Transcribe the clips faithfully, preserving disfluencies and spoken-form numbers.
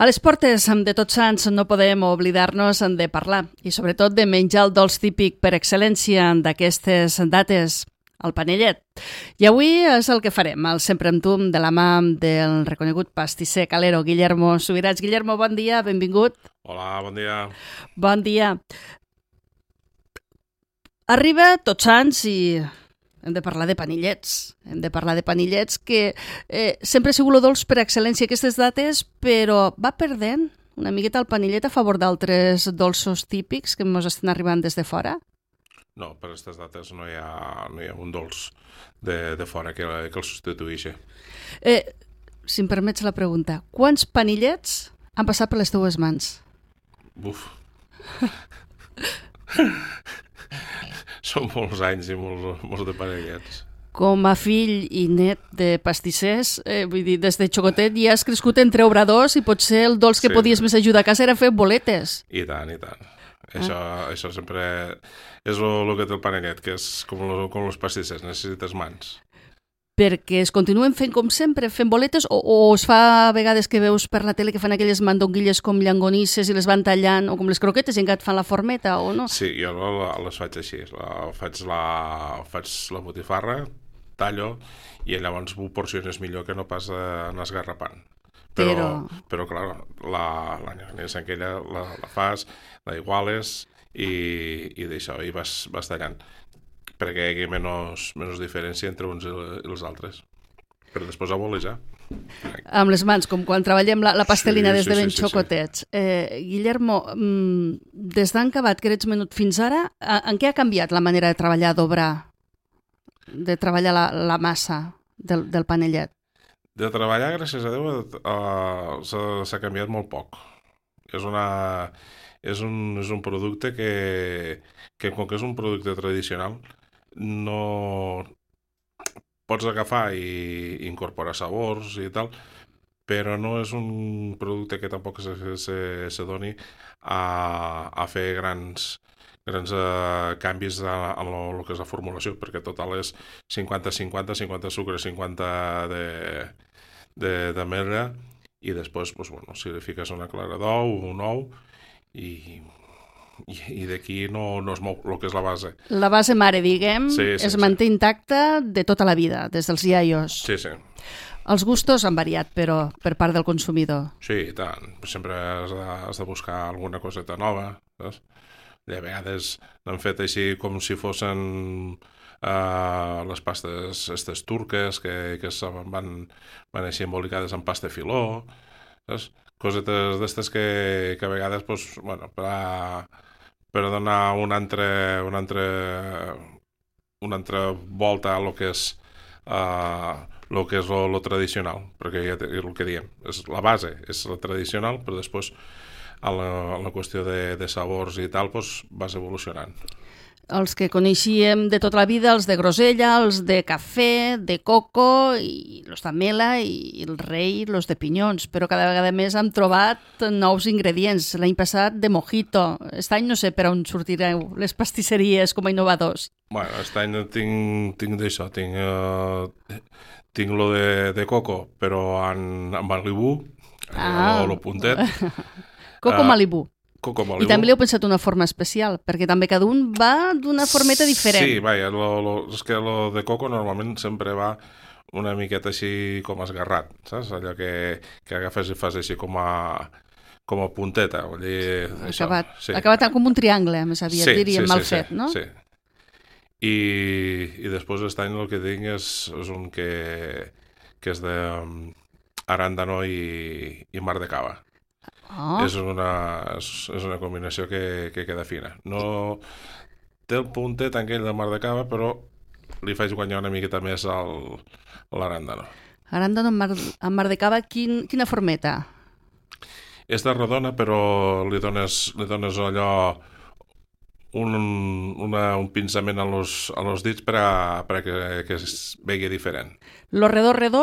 A les portes de Tots Sants no podem oblidar-nos de parlar i sobretot de menjar el dolç típic per excel·lència d'aquestes dates, el panellet. I avui és el que farem, el Sempre amb tu, de la mà del reconegut pastisser calero Guillermo Subirats. Guillermo, bon dia, benvingut. Hola, bon dia. Bon dia. Arriba Tots Sants i hem de parlar de panellets. Hem de parlar de panellets que eh, sempre ha sigut el dolç per excel·lència aquestes dates, però va perdent una miqueta el panellet a favor d'altres dolços típics que ens estan arribant des de fora? No, per aquestes dates no hi ha, no hi ha un dolç de, de fora que, que el substitueixi. Eh, si em permets la pregunta, quants panellets han passat per les teues mans? Buf. Són molts anys i molts, molts de panellets. Com a fill i net de pastissers, eh, vull dir, des de xocotet ja has crescut entre obradors i potser el dolç que Sí, podies sí. més ajudar a casa era fer boletes. I tant, i tant. Això, això sempre és el que té el panellet, que és com, lo, com els pastissers, necessites mans. Perquè es continuen fent com sempre, fent boletes, o, o es fa a vegades que veus per la tele que fan aquelles mandonguilles com llangonisses i les van tallant, o com les croquetes i encara et fan la formeta, o no? Sí, jo la- les faig així. La, faig, la, faig la botifarra, tallo, i llavors ho porciones millor que no pas anar esgarrapant. Però, Però- però clar, la, la llangonissa aquella la, la fas, la iguales i, i d'això, i vas, vas tallant perquè hi hagi menys, menys diferència entre uns i els altres. Per després a bolejar. Amb les mans, com quan treballem la, la pastelina Sí, des de sí, ben sí, sí, xocotets. Eh, Guillermo, mm, des d'han acabat que eres menut fins ara, a- en què ha canviat la manera de treballar, d'obrar, de treballar la, la massa del, del panellet? De treballar, gràcies a Déu, uh, s'ha s'ha canviat molt poc. És, una, és, un, és un producte que, que, com que és un producte tradicional, no pots agafar i incorporar sabors i tal, però no és un producte que tampoc se, se, se doni a, a fer grans, grans uh, canvis a, a lo, lo que és la formulació, perquè total és cinquanta cinquanta, cinquanta sucre, cinquanta de, de, de merda, i després, pues, bueno, si li fiques una clara d'ou, un ou, i, i, i d'aquí no, no es mou el que és la base. La base mare, diguem, Sí, sí, es sí. manté intacta de tota la vida, des dels iaios. Sí, sí. Els gustos han variat, però, per part del consumidor. Sí, i tant. Sempre has de, has de buscar alguna coseta nova, saps? I a vegades n'han fet així com si fossin uh, les pastes estes turques que, que se van, van així embolicades en pasta filó, saps? Cosetes d'estes que, que a vegades, pues, bueno, per, a, per a donar una altra, una altra, una altra volta a lo que és uh, lo que és lo, lo tradicional, perquè ja és el que diem, és la base és la tradicional, però després a la, a la qüestió de, de sabors i tal, pues, vas evolucionant. Els que coneixíem de tota la vida, els de grosella, els de cafè, de coco, i els de mela, i el rei, els de pinyons, però cada vegada més hem trobat nous ingredients. L'any passat de mojito. Aquest any no sé per on sortireu les pastisseries com a innovadors. Bueno, aquest any tinc, tinc d'això, tinc, uh, tinc lo de, de coco, però en, en Malibu, Ah. lo, lo puntet. Coco Ah, Malibu. Coco Malibu. I també li heu pensat una forma especial, perquè també cada un va d'una formeta diferent. Sí, vaja, lo, lo, és que lo de coco normalment sempre va una miqueta així com esgarrat, saps? Allò que, que agafes i fas així com a, com a punteta. Vull dir, això, Acabat, sí. acabat com un triangle, més aviat, Sí, diríem, sí, mal sí, fet, sí, no? Sí. I, i després aquest any el que tinc és, és un que, que és de um, arándano i, i mar de cava. Oh, És, una, és, és una combinació que, que queda fina. No té el puntet aquell de mar de cava, però li faig guanyar una miqueta més al, a l'arándano. arándano amb mar, amb mar de cava, quin, quina formeta? És de rodona, però li dones, li dones allò un, una, un pinçament a los, a los dits per a, per a que, que es vegi diferent. Lo redó, redó,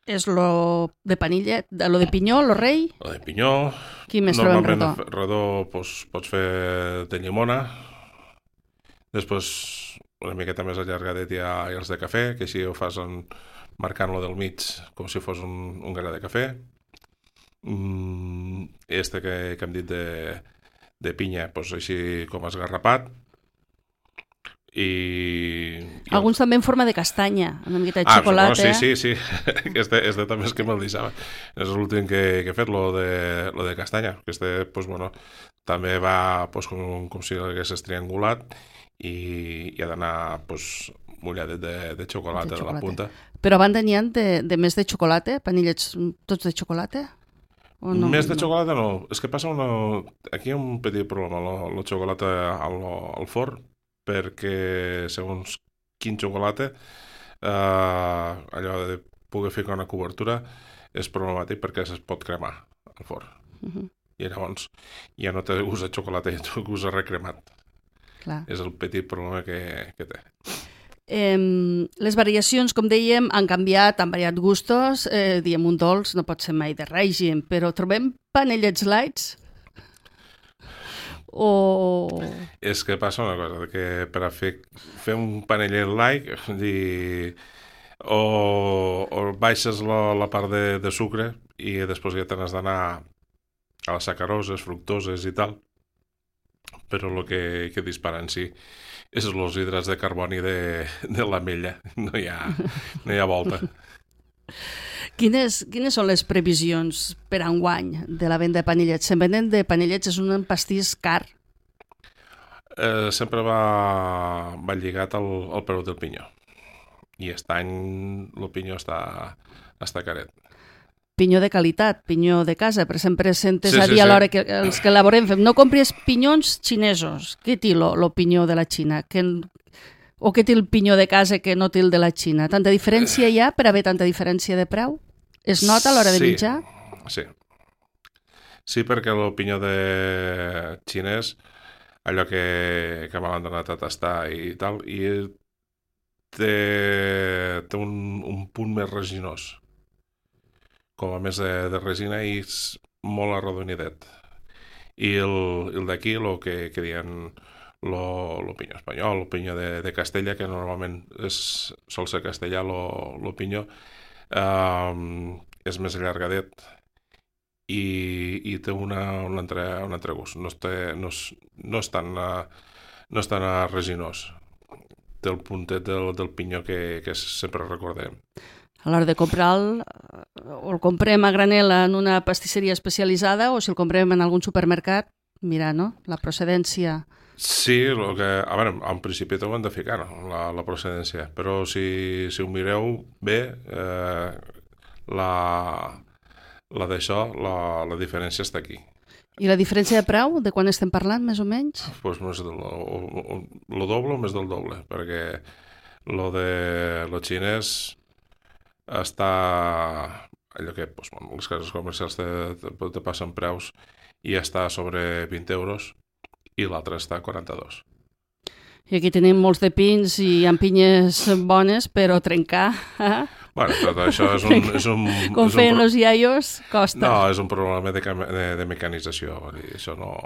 és lo de panilla, lo de pinyó, lo rei, Lo de pinyó, qui més trobem redó? normalment redó pues, pots fer de llimona, després una miqueta més allargadet hi ha els de cafè, que així ho fas en, marcant-lo del mig com si fos un, un gra de cafè. Mm, este que, que hem dit de, de pinya, doncs així com esgarrapat. I, i alguns també en forma de castanya, una miqueta de ah, xocolata. Bueno, sí, sí, sí. Este, este també és que me'l deixava. És l'últim que, que he fet, lo de, lo de castanya. Este, pues, bueno, també va pues, com, com si haguessis triangulat i, i ha d'anar pues, mulladet de, de xocolata de, de la punta. Però a banda n'hi ha de, de més de xocolata? Panellets tots de xocolata? O no? Més de no. xocolata no. És que passa una... Aquí hi ha un petit problema, la, la xocolata al, al forn, perquè segons quin xocolata eh, allò de poder ficar una cobertura és problemàtic perquè es pot cremar al forn. Uh-huh. I llavors ja no té gust de xocolata, ja té gust de recremat. Clar. És el petit problema que, que té. Eh, les variacions, com dèiem, han canviat, han variat gustos. Eh, diem un dolç, no pot ser mai de règim, però trobem panellets lights? O... És que passa una cosa, que per a fer, fer un panellet light, dir, o, o baixes la, la part de, de sucre i després ja te n'has d'anar a les sacaroses, fructoses i tal, però el que, que dispara en si és els hidrats de carboni de, de l'ametlla, no hi ha, no hi ha volta. Quines, quines són les previsions per enguany de la venda de panellets? Se'n venen de panellets, és un pastís car. Eh, sempre va, va lligat al, al preu del pinyó. I aquest any el pinyó està, està caret. Pinyó de qualitat, pinyó de casa, però sempre sentes sí, a dir sí, a l'hora sí. que els que elaborem fem, no compris pinyons xinesos. Què té el pinyó de la Xina? Que, o què té el pinyó de casa que no té el de la Xina? Tanta diferència hi ha per haver tanta diferència de preu? Es nota a l'hora de sí, menjar? Sí. Sí, perquè el pinyó de xinès, allò que, que me l'han donat a tastar i tal, i té, té un, un punt més resinós. Com a més de, de resina i és molt arrodonidet. I el, el d'aquí, el que, que diuen el pinyó espanyol, el pinyó de, de Castella, que normalment és, sol ser castellà, el pinyó, Um, és més allargadet i, i té una, un, altre, un altre gust, no, té, no, és, no, és tan, uh, no és tan uh, resinós, té el puntet del, del pinyó que, que sempre recordem. A l'hora de comprar-lo, o el comprem a granel en una pastisseria especialitzada o si el comprem en algun supermercat, mira, no? La procedència... Sí, lo que, a veure, en principi t'ho hem de ficar, no? la, la procedència, però si, si ho mireu bé, eh, la, la d'això, la, la diferència està aquí. I la diferència de preu, de quan estem parlant, més o menys? Pues més del, o, o, lo doble o més del doble, perquè lo de lo xinès està allò que pues, bueno, les cases comercials te, te, te passen preus i està sobre vint euros, i l'altre està a quaranta-dos. I aquí tenim molts de pins i hi ha pinyes bones, però trencar... Eh? Bueno, tot això és un... És un Com és feien un pro... els iaios, costa. No, és un problema de, de, de mecanització. Això no...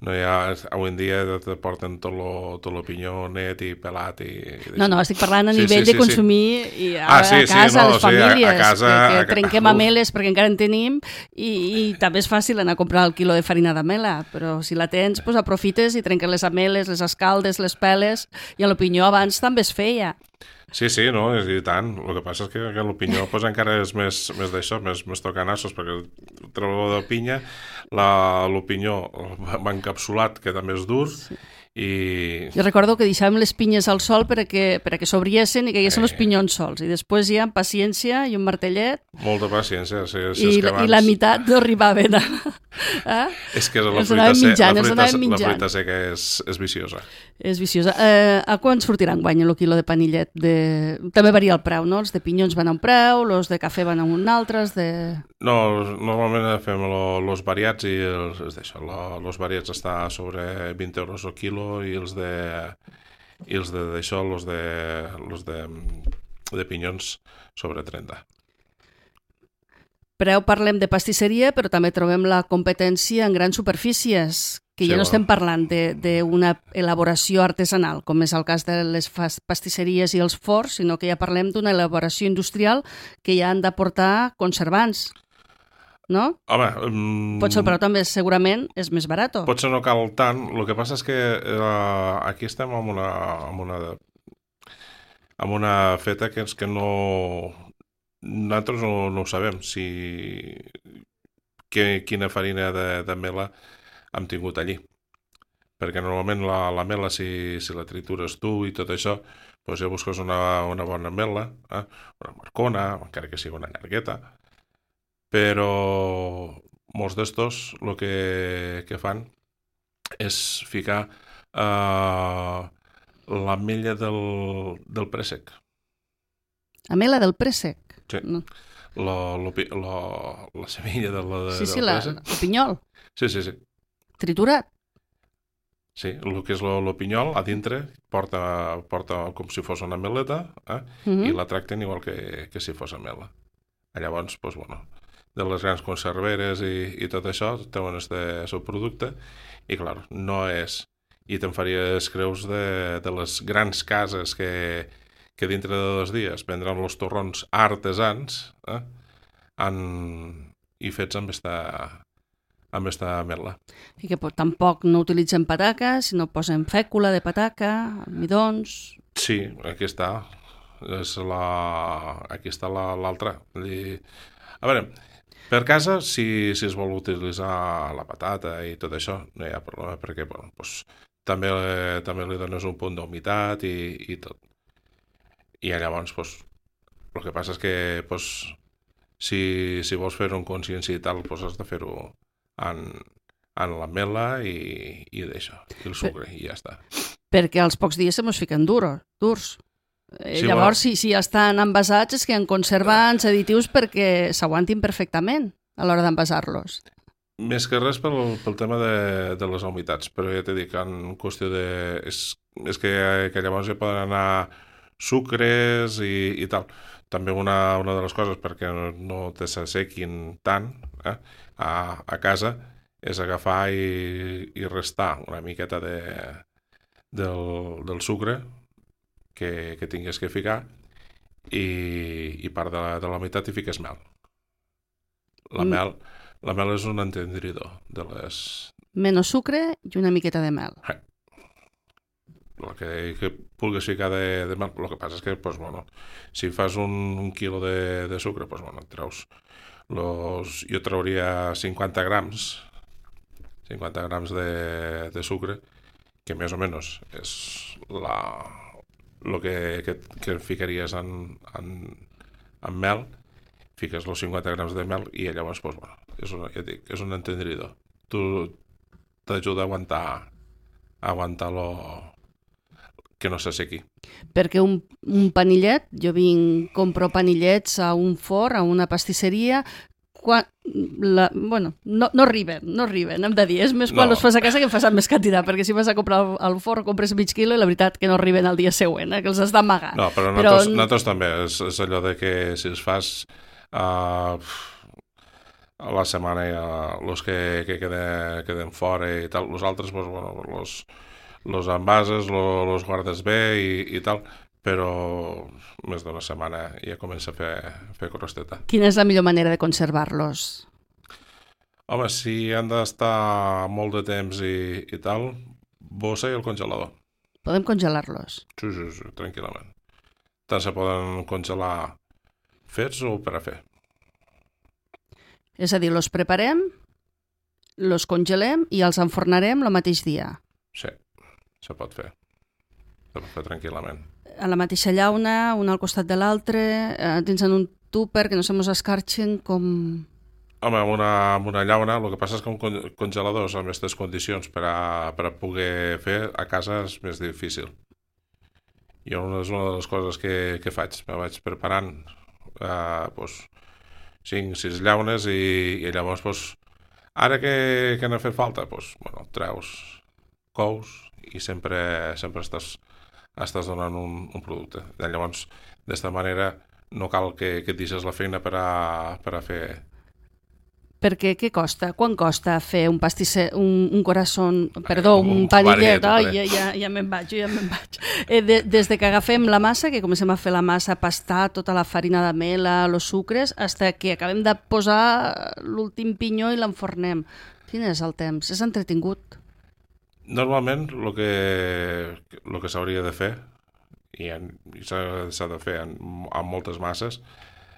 No hi ha, avui en dia te porten tot lo, tot lo pinyó net i pelat i... No, no, estic parlant a sí, nivell sí, sí, de consumir sí. i a, ah, sí, a casa, sí, no, a les sí, famílies, a, a casa, que, que a, trenquem uf. ameles perquè encara en tenim i, i també és fàcil anar a comprar el quilo de farina d'amela, però si la tens, pues, aprofites i trenques les ameles, les escaldes, les peles, i el pinyó abans també es feia. Sí, sí, no, i tant. El que passa és que, que el pinyó pues, encara és més, més d'això, més, més tocanassos, perquè el treballador de pinya, la, el pinyó va encapsulat, que també és dur, sí. i... Jo recordo que deixàvem les pinyes al sol perquè, perquè s'obriessin i que haguessin eh. els pinyons sols, i després hi ha paciència i un martellet. Molta paciència, sí. sí I, és que abans... i la meitat no arribaven a... Eh? És que la els fruita, mitjant, la, fruita, la fruita seca és, és viciosa. És viciosa. Eh, a quan sortirà enguany el quilo de panillet? De... També varia el preu, no? Els de pinyons van a un preu, els de cafè van a un altre, els de... No, normalment fem els variats i els, és d'això, els variats està sobre vint euros el quilo i els de i els de d'això, els de, els de, de pinyons sobre trenta. Preu parlem de pastisseria, però també trobem la competència en grans superfícies, que sí, ja no bueno. estem parlant d'una elaboració artesanal, com és el cas de les pastisseries i els forns, sinó que ja parlem d'una elaboració industrial que ja han d'aportar conservants. no? Home... Um, Potser el preu també segurament és més barat. Potser no cal tant. El que passa és que uh, aquí estem amb una, amb una, amb una feta que és que no... Nosaltres no, no ho sabem, si... Que, quina farina de, de mela hem tingut allí. Perquè normalment la, la mela, si, si la tritures tu i tot això, doncs ja busques una, una bona mela, eh? Una marcona, encara que sigui una llargueta, però molts d'estos el que, que fan és ficar eh, l'ametlla del, del préssec. Amela del préssec? Sí. No. La, la, la, la semilla de la, de, sí, sí, del la, préssec. el pinyol. Sí, sí, sí. Triturat. Sí, el que és el pinyol, a dintre, porta, porta com si fos una meleta, eh? Uh -huh. I la tracten igual que, que si fos amela. Llavors, doncs, bueno, de les grans conserveres i, i tot això, treuen este seu producte, i clar, no és... I te'n faries creus de, de les grans cases que, que dintre de dos dies vendran els torrons artesans, eh? En, i fets amb esta... amb esta ametla. I que tampoc no utilitzen pataca, sinó posen fècula de pataca, almidons... Sí, aquí està. És la... Aquí està l'altra. La, a veure, per casa, si, si es vol utilitzar la patata i tot això, no hi ha problema, perquè bueno, pues, també, també li dones un punt d'humitat i, i tot. I llavors, pues, el que passa és que pues, si, si vols fer un consciència i tal, pues, has de fer-ho en, en la mela i, i d'això, i el sucre, per, i ja està. Perquè als pocs dies se mos fiquen duros, durs. Eh, sí, llavors, bueno, si, si ja estan envasats, és que en conserven additius perquè s'aguantin perfectament a l'hora d'envasar-los. Més que res pel, pel tema de, de les humitats, però ja t'he dit que en qüestió de... És, és que, que llavors ja poden anar sucres i, i tal. També una, una de les coses perquè no, no te s'assequin tant, eh? A, a casa és agafar i, i restar una miqueta de, del, del sucre que, que tingues que ficar i, i part de la, de la meitat hi fiques mel. La mm. mel, la mel és un entendridor de les... Menys sucre i una miqueta de mel. Eh. El que, que vulguis ficar de, de mel, el que passa és que, pues, bueno, si fas un, un quilo de, de sucre, pues, bueno, treus Los, jo trauria cinquanta grams cinquanta grams de, de sucre, que més o menys és la, el que, que, que ficaries en, en, en mel, fiques els cinquanta grams de mel i llavors, pues, bueno, és, una, ja dic, és un entendridor. Tu t'ajuda a aguantar a aguantar lo que no s'assequi. Perquè un, un panillet, jo vinc, compro panillets a un forn, a una pastisseria, quan, la, bueno, no, no arriben, no arriben, hem de dir, és més quan no. Els fas a casa que en fas amb més quantitat, perquè si vas a comprar al, al forn compres mig quilo i la veritat que no arriben al dia següent, eh, que els has d'amagar. No, però, però nosaltres, nosaltres també, és, és allò de que si els fas uh, a la setmana els uh, que, que queden, queden fora i tal, els altres, pues, bueno, los los envases, los, los guardes bé i, i tal, però més d'una setmana ja comença a fer, a fer crosteta. Quina és la millor manera de conservar-los? Home, si han d'estar molt de temps i, i tal, bossa i el congelador. Podem congelar-los? Sí, sí, sí, tranquil·lament. Tant se poden congelar fets o per a fer. És a dir, los preparem, los congelem i els enfornarem el mateix dia. Sí. Se pot fer. Se pot fer tranquil·lament. A la mateixa llauna, un al costat de l'altre, eh, dins en un tupper que no se mos escarxen com... Home, amb una, amb una llauna, el que passa és que un congelador amb aquestes condicions per a, per a poder fer a casa és més difícil. Jo és una de les coses que, que faig. Me vaig preparant eh, pues, cinc sis llaunes i, i llavors pues, ara que, que n'ha fet falta, pues, bueno, treus cous i sempre, sempre estàs, estàs donant un, un producte. Llavors, d'esta manera, no cal que, que et deixes la feina per a, per a fer Perquè què costa? Quan costa fer un pastisser, un, un corazón, perdó, un, un panillet? panillet, Ai, ja, ja, ja me'n vaig, ja me'n vaig. Eh, de, des de que agafem la massa, que comencem a fer la massa, pastar tota la farina de mela, els sucres, hasta que acabem de posar l'últim pinyó i l'enfornem. Quin és el temps? És entretingut? Normalment, el que, el que s'hauria de fer, i, en, i s'ha de fer en, en moltes masses,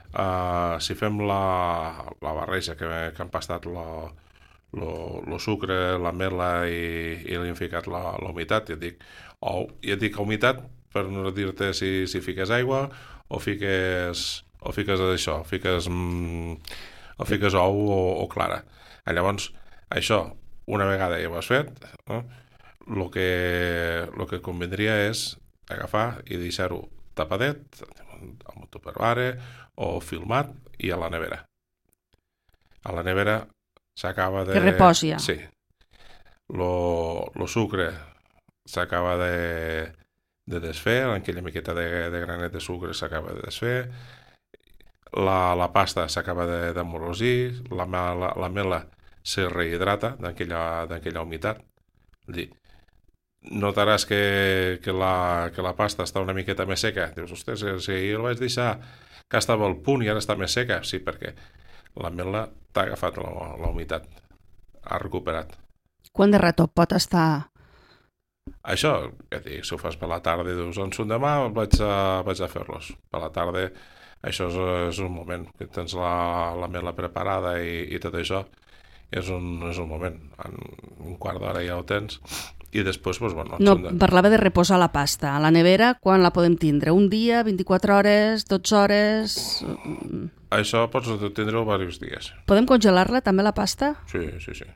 Uh, si fem la, la barreja que, que han pastat el sucre, la mela i, i li hem ficat la, la humitat, ja et dic, o, ja et dic humitat per no dir-te si, si fiques aigua o fiques, o fiques això, fiques, mm, o fiques ou o, o clara. Llavors, això, una vegada ja ho has fet, el no? que, lo que convindria és agafar i deixar-ho tapadet, amb un tupperware o filmat i a la nevera. A la nevera s'acaba de... Que reposi ja. Sí. Lo, lo sucre s'acaba de, de desfer, aquella miqueta de, de granet de sucre s'acaba de desfer, la, la pasta s'acaba d'amorosir, la, la, la mela se rehidrata d'aquella humitat. Dir, notaràs que, que, la, que la pasta està una miqueta més seca. Dius, ostres, si jo el vaig deixar que estava al punt i ara està més seca. Sí, perquè la mela t'ha agafat la, la humitat, ha recuperat. Quant de rato pot estar? Això, ja dic, si ho fas per la tarda i dius, on són demà, vaig a, vaig a fer-los. Per la tarda, això és, és un moment, que tens la, la mela preparada i, i tot això, és un, és un moment. En un quart d'hora ja ho tens. I després, doncs, bueno... No, de... parlava de reposar la pasta. A la nevera, quan la podem tindre? Un dia, vint-i-quatre hores, dotze hores... Això pots tindre-ho diversos dies. Podem congelar-la, també, la pasta? Sí, sí, sí.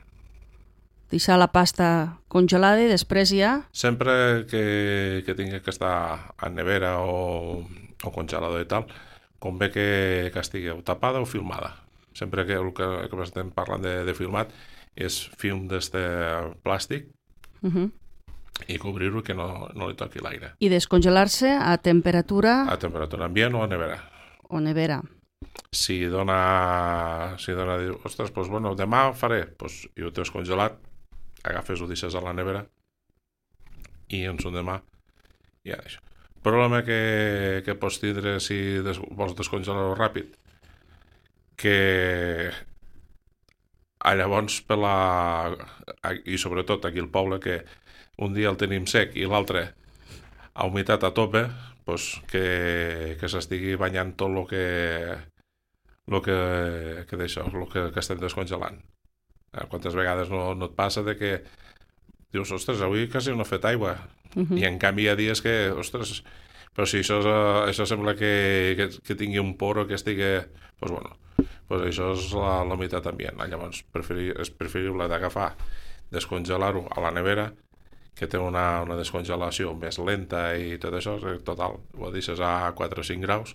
Deixar la pasta congelada i després ja... Sempre que, que tingui que estar en nevera o, o congelador i tal, convé que, que estigui tapada o filmada. Sempre que el que, que estem parlant de, de filmat és film d'este plàstic, Uh -huh. i cobrir-ho que no, no li toqui l'aire. I descongelar-se a temperatura... A temperatura ambient o a nevera. O nevera. Si dona... Si dona... Ostres, doncs bueno, demà faré. Doncs, i ho tens congelat, agafes, ho deixes a la nevera i en son demà ja això. El problema que, que pots tindre si des, vols descongelar-ho ràpid, que llavors per la... i sobretot aquí al poble, que un dia el tenim sec i l'altre a humitat a tope, doncs que, que s'estigui banyant tot el que el que, que d'això, el que, que estem descongelant. Quantes vegades no, no et passa de que dius, ostres, avui quasi no he fet aigua. Uh -huh. I en canvi hi ha dies que, ostres, però si això, això sembla que, que, que tingui un poro que estigui... Doncs bueno, pues això és la, la humitat ambient. Llavors preferi, és preferible d'agafar, descongelar-ho a la nevera, que té una, una descongelació més lenta i tot això, total, ho deixes a quatre o cinc graus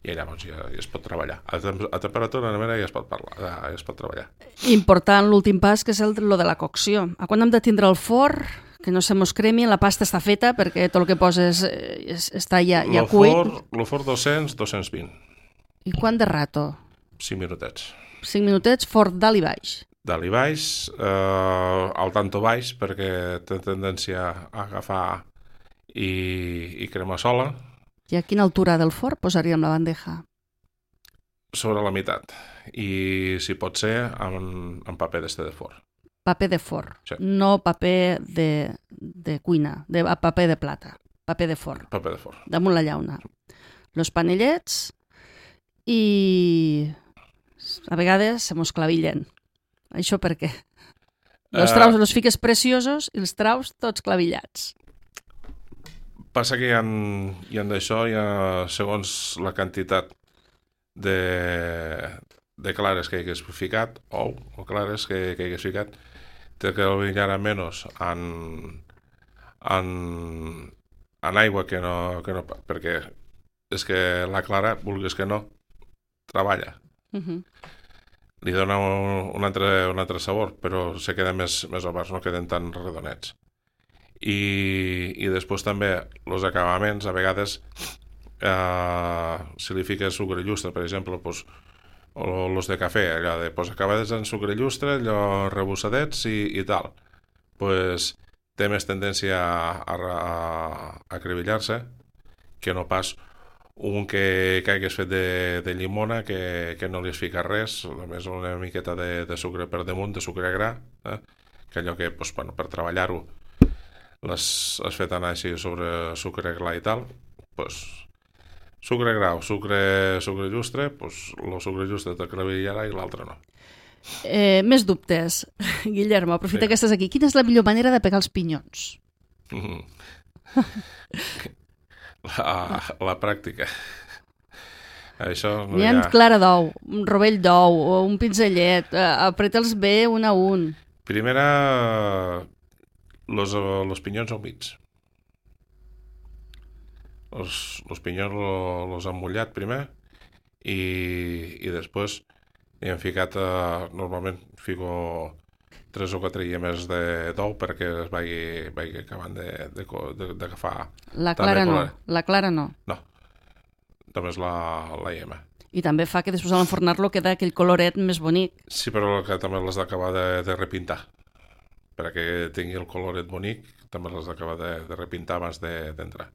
i llavors ja, ja es pot treballar. A, tem a temperatura de nevera ja es pot parlar, ja, ja es pot treballar. Important l'últim pas, que és el, lo de la cocció. A quan hem de tindre el forn, que no se mos cremi, la pasta està feta perquè tot el que poses eh, està ja, ja cuit. El forn dos-cents, dos-cents vint. I quant de rato? cinc minutets. cinc minutets, forn dalt i baix. Dalt i baix, eh, al tanto baix, perquè té tendència a agafar i, i crema sola. I a quina altura del forn posaríem la bandeja? Sobre la meitat. I si pot ser, en, en paper d'este de forn. Paper de forn, sí. No paper de, de cuina, de paper de plata, paper de forn. Paper de forn. Damunt la llauna. Los panellets i a vegades se mos clavillen. Això per què? Los traus, los fiques preciosos i els traus tots clavillats. Passa que hi ha, hi ha d'això, hi ha, segons la quantitat de, de clares que hagués ficat, ou, o clares que, que hagués ficat, té que brillar menys en, en, en aigua que no, que no... Perquè és que la clara, vulguis que no, treballa. Uh -huh. Li dona un, un, altre, un altre sabor, però se queda més, més oberts, no queden tan redonets. I, i després també els acabaments, a vegades, eh, si li fiques sucre llustre, per exemple, doncs, o els de cafè, allò de pues, acabades en sucre llustre, allò rebussadets i, i tal. Pues, té més tendència a, a, a acribillar-se que no pas un que, que hagués fet de, de llimona que, que no li es fica res, només una miqueta de, de sucre per damunt, de sucre gra, eh? Que allò que pues, bueno, per treballar-ho les has fet anar així sobre sucre gla i tal, pues, sucre grau, sucre, sucre llustre, pues, el sucre llustre t'acribillarà i l'altre no. Eh, més dubtes. Guillermo, aprofita Sí. que estàs aquí. Quina és la millor manera de pegar els pinyons? Mm. La, la pràctica. Això no N'hi hi ha ha... clara d'ou, un rovell d'ou, o un pinzellet, eh, apreta'ls bé un a un. Primera, los, los pinyons humits. Los, los pinyons lo- los han mullat primer i, i després hi hem ficat, eh, normalment fico tres o quatre llemes de d'ou perquè es vagi, vagi acabant de, de, co- de, d'agafar. La També clara no, color. la clara no. No, només la, la llema. I també fa que després a l'enfornar-lo queda aquell coloret més bonic. Sí, però que també l'has d'acabar de, de repintar. Perquè tingui el coloret bonic, també l'has d'acabar de, de repintar abans de- d'entrar.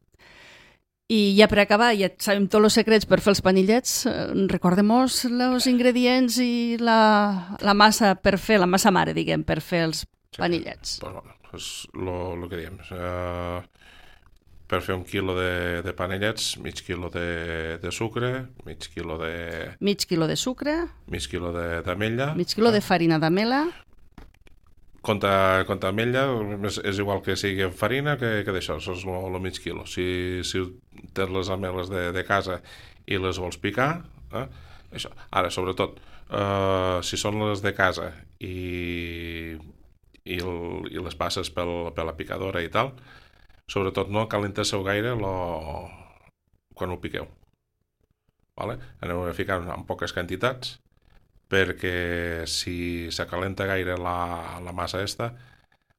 I ja per acabar, ja sabem tots els secrets per fer els panillets. Eh, Recordem-nos els ingredients i la, la massa per fer, la massa mare, diguem, per fer els panillets. Pues bueno, és el que diem. Uh, per fer un quilo de, de panellets, mig quilo de, de sucre, mig quilo de Mig quilo de sucre, mig quilo de- d'ametlla. mig quilo de farina d'amela, Contra, contra ametlla és, és igual que sigui en farina que, que d'això, això és el mig quilo. Si, si tens les ameles de, de casa i les vols picar, eh, això. Ara, sobretot, eh, si són les de casa i, i, el, i les passes pel, per la picadora i tal, sobretot no calenteu gaire lo, quan ho piqueu. Vale? Aneu a ficar en poques quantitats perquè si s'acalenta gaire la, la massa esta,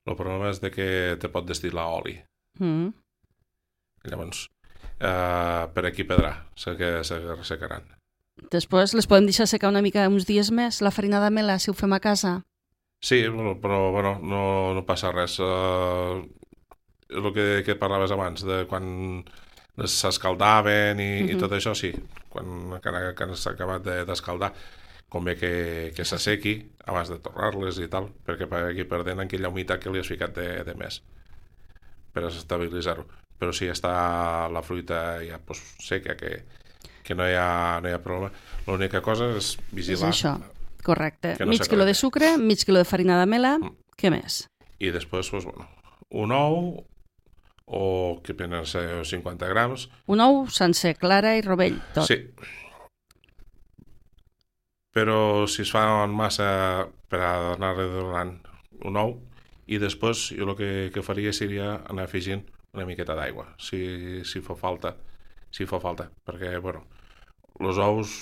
el problema és de que te pot destil·lar oli. mm. Llavors, eh, per aquí pedrà, se, que se ressecaran. Després les podem deixar secar una mica uns dies més, la farina d'amela, si ho fem a casa. Sí, però, però bueno, no, no passa res. Eh, és el que, que parlaves abans, de quan s'escaldaven i, Mhm. i tot això, sí. Quan, quan, quan s'ha acabat de- d'escaldar, convé que, que s'assequi abans de torrar-les i tal, perquè per aquí perdent aquella humitat que li has ficat de, de més per estabilitzar-ho. Però si està la fruita ja pues, seca, que, que no, hi ha, no hi ha problema. L'única cosa és És vigilar. això, correcte. Que no mig quilo de s'acalenti. sucre, mig quilo de farina d'amela, Mm. què més? I després, pues, bueno, un ou o que poden ser cinquanta grams. Un ou sencer, clara i rovell, tot. Sí. Però si es fa en massa per anar redonant un ou i després jo el que, que faria seria anar afegint una miqueta d'aigua si, si fa falta si fa falta perquè bueno, els ous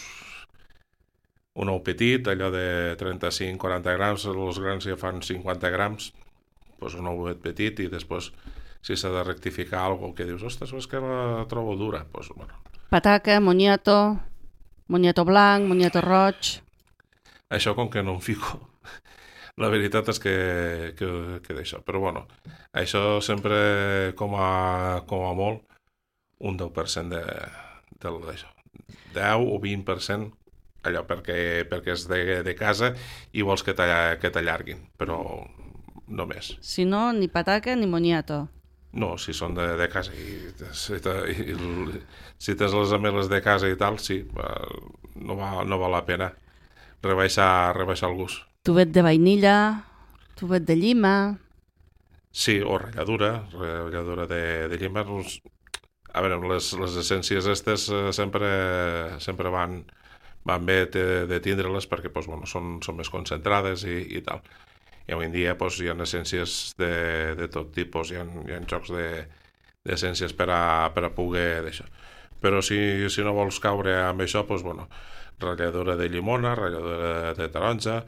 un ou petit, allò de trenta-cinc a quaranta grams, els grans ja fan cinquanta grams, doncs un ou petit i després si s'ha de rectificar alguna cosa que dius, ostres, és que la trobo dura, doncs bueno. Pataca, moniato, moniato blanc, moniato roig. Això com que no em fico, la veritat és que, que, que d'això. Però bueno, això sempre com a, com a molt un deu per cent de, de d'això. deu o vint per cent allò perquè, perquè és de, de casa i vols que t'allarguin, però no més. Si no, ni pataca ni moniato. No, si són de, de casa i, si, i, i si tens les ameles de casa i tal, sí, no, va, no val la pena rebaixar, rebaixar el gust. Tubet de vainilla, tubet de llima. Sí, o ratlladura, ratlladura de, de llima. Doncs, a veure, les, les essències aquestes eh, sempre, sempre van, van bé de, de tindre-les perquè doncs, bueno, són, són més concentrades i, i tal. I avui en dia doncs, hi ha essències de, de tot tipus, hi ha, hi ha jocs d'essències de, per, a, per a poder d'això. Però si, si no vols caure amb això, doncs, bueno, ratlladura de llimona, ratlladura de taronja,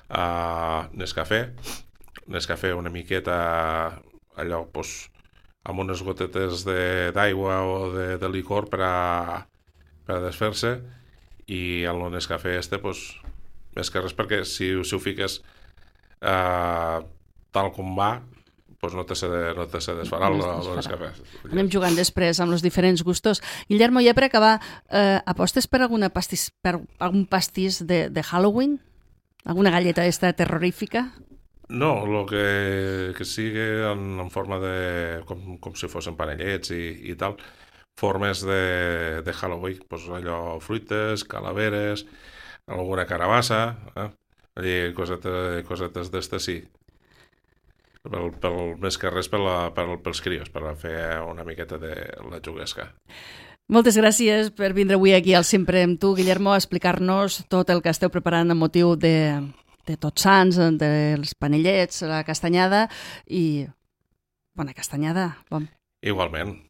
uh, Nescafé, Nescafé una miqueta allò, doncs, amb unes gotetes d'aigua o de, de licor per a, per a desfer-se i el Nescafé este, pues, més que res perquè si, si ho fiques eh, tal com va, pues no te se, de, no te se desfarà el, el Nescafé. Anem jugant després amb els diferents gustos. Guillermo, ja per acabar, eh, apostes per, alguna pastís, per algun pastís de, de Halloween? Alguna galleta esta terrorífica? No, el que, que sigui en, en forma de... Com, com si fossin panellets i, i tal, formes de, de Halloween, pues allò, fruites, calaveres, alguna carabassa, eh? Allí, cosetes, cosetes d'estes, sí. Pel, pel, més que res per la, per, pels crios, per fer una miqueta de la juguesca. Moltes gràcies per vindre avui aquí al Sempre amb tu, Guillermo, a explicar-nos tot el que esteu preparant amb motiu de... de Tots Sants, dels panellets, la castanyada i... Bona castanyada. Bon. Igualment.